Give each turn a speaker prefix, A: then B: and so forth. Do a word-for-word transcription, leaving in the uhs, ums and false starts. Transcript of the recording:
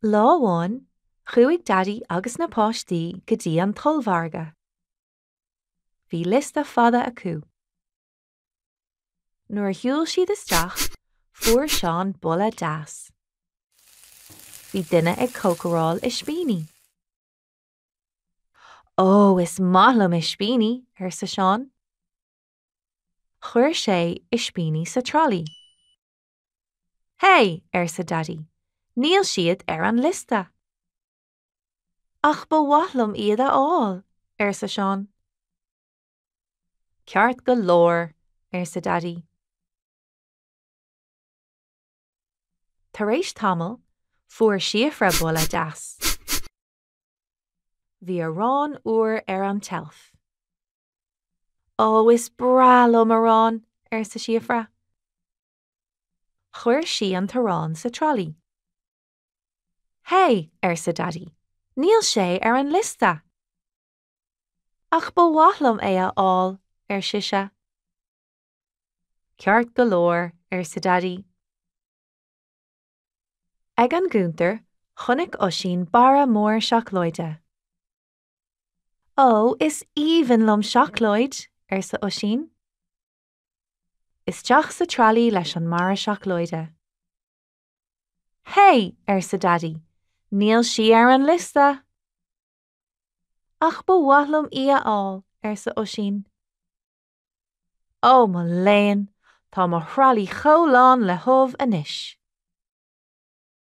A: Lá amháin, chuaigh Daidí agus na páistí go dtí an t-ollmhargadh. Bhí liosta fada acu. Nuair a shiúil siad isteach, fuair Seán boladh deas. Bhí duine ag cócaráil ispíní. Ó, is maith liom ispíní, arsa Seán. Chuir sé ispíní sa trolley. Hey, arsa Daidí, níl siad ar an liosta. Ach ba mhaith liom iad a fháil, arsa Seán. Ceart go leor, arsa Daidí. Tar éis tamaill, fuair Síofra boladh deas. Bhí arán úr ar an tseilf. Ó, is breá liom arán, arsa Síofra. Chuir sí an t-arán sa trolley. Hey, arsa Daidí, níl sé ar an liosta. Ach ba mhaith liom é a fháil, ar sise. Ceart go leor, arsa Daidí. Ag an gcuntar, chonaic Oisín barra mór seacláide. Ó, is aoibhinn liom seacláid, arsa Oisín. Isteach sa trolley leis an mbarra seacláide. Hey, arsa Daidí, níl sí ar an liosta. Ach ba mhaith liom í a fháil, arsa Oisín. Ó mo léan, tá mo throlley chomh lán le hubh anois.